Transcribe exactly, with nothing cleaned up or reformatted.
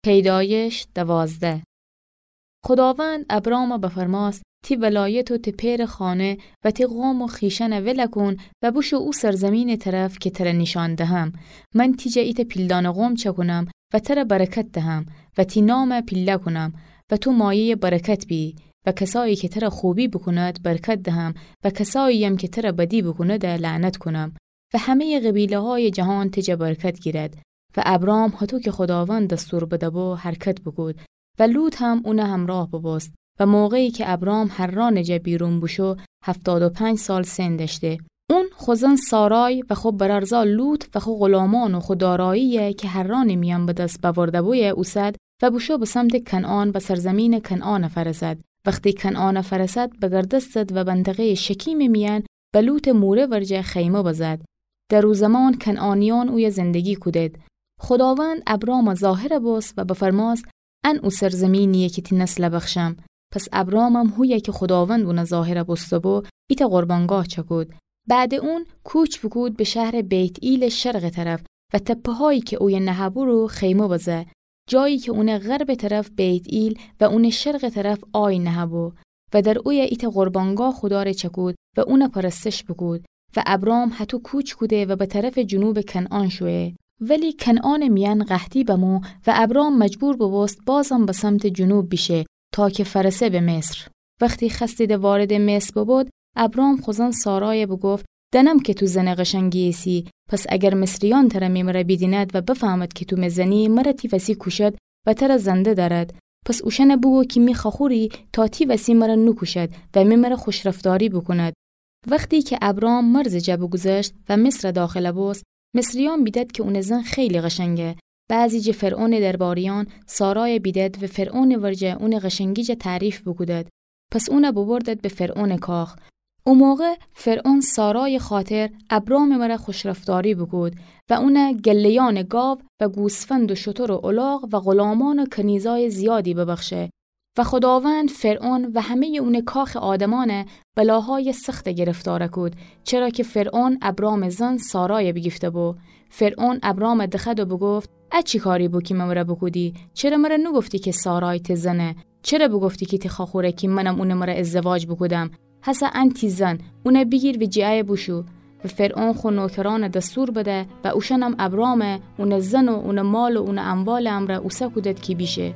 پیدایش دوازده. خوداوند ابرامَ بفرماست: تی ولایت و تی پئرٚ خانه و تی قوم و خویشأنَ ولَ کون و بوشو او سرزمینٚ طرف کی ترَ نیشأن دهم. من تی جا ایتأ پیلدانه قوم چأکونم و ترَ برکت دهم و تی نامَ پیله کونم و تو مایه‌یٚ برکت بیی و کسأیی کی ترَ خوبی بوکوند برکت دهم و کسأیی‌یم کی ترَ بدی بوکوند لعنت کونم و همه‌یٚ قبیله‌هایٚ جهان تی جا برکت گیرد. و ابرام هطو کی خوداوند دستور بده‌بو حرکت بوکود و لوط هم اونٚ همرأه بوبوست. و موقعی کی ابرام حرانٚ جا بیرون بوشو، هفتاد و پنج سال سن دأشته. اون خو زن سارای و خو برأرزا لوط و خو غلامان و خو دارایی‌یَ کی حرانٚ میأن به دس بأورده‌بویه اوسد و بوشو به سمتٚ کنعان و سرزمینٚ کنعانَ فأرسد. وختی کنعانَ فأرسد، بگردستد و منطقه‌یٚ شکیمٚ میأن به لوطٚ موره ورجه خیمه بزد. در او زمان کنعانیأن اویه زندگی کودید. خوداوند ابرامَ ظاهر بوست و بفرماست: ان او سرزمینی‌یه کی تی نسلَ بخشم. پس ابرامم هویه کی خوداوند اونَ ظاهر بوسته‌بو، ایتأ قربانگاه چأکود. بعدٚ اون کوچ بوکود به شهرٚ بیت‌ئیلٚ شرقٚ طرف و تپه‌هایی کی اویه نهه‌بو رو خیمه بزه. جایی کی اونٚ غربٚ طرف بیت‌ئیل و اونٚ شرقٚ طرف آی نهه‌بو و در اویه ایتأ قربانگاه خودا ره چأکود و اونَ پرستش بوکود. و ابرام هطو کوچ کوده و به طرفٚ جنوبٚ کنعان شویه. ولی کنعانٚ میأن قحطی بمو و ابرام مجبور بوبوست بازم به سمتٚ جنوب بیشه تا کی فأرسه به مصر. وختی خوأستیدی واردٚ مصر ببود، ابرام خو زن سارایَ بوگفت: دأنم کی تو زنٚ قشنگی ایسی، پس اگر مصریأن ترَ می مره بیدیند و بفهمد کی تو می زنی، مره تی وسی کوشد و ترَ زنده دأرد. پس اوشأنَ بوگو کی می خوأخوری تا تی وسی مره نوکوشد و می مره خوشرفتاری بوکوند. وختی کی ابرام مرزٚ جا بوگوذشت و مصرَ داخل بوست، مصریأن بیدد کی اونٚ زن خیلی قشنگه. بعضی جٚه فرعونٚ درباریأن سارایَ بیدد و فرعونٚ ورجه اونٚ قشنگی جا تعریف بوکودد. پس اونَ ببردد به فرعونٚ کاخ. او موقع فرعون سارایٚ خاطر ابرامٚ مره خوشرفتاری بوکود و اونَ گله‌یأنٚ گاو و گوسفند و شتر و الاغ و غلامان و کنیزایٚ زیادی ببخشه. و خوداوند فرعون و همه‌یٚ اونٚ کاخٚ آدمأنَ بلاهایٚ سخت گرفتار کود، چرا کی فرعون ابرامٚ زن سارایَ بیگیفته‌بو. فرعون ابرامَ دخوأد و بوگفت: ا چی کاری بو کی می مره بوکودی؟ چره مره نوگفتی کی سارای تی زنه؟ چره بوگفتی کی تی خوأخوره کی منم اونٚ مره ازدواج بوکودم؟ هسه ان تی زن، اونَ بیگیر و جٚه ایه بوشو. و فرعون خو نوکرأنَ دستور بده و اوشأنم ابرامَ، اونٚ زن و اونٚ مال و اونٚ اموالٚ امرأ اوسه کودد کی بیشه.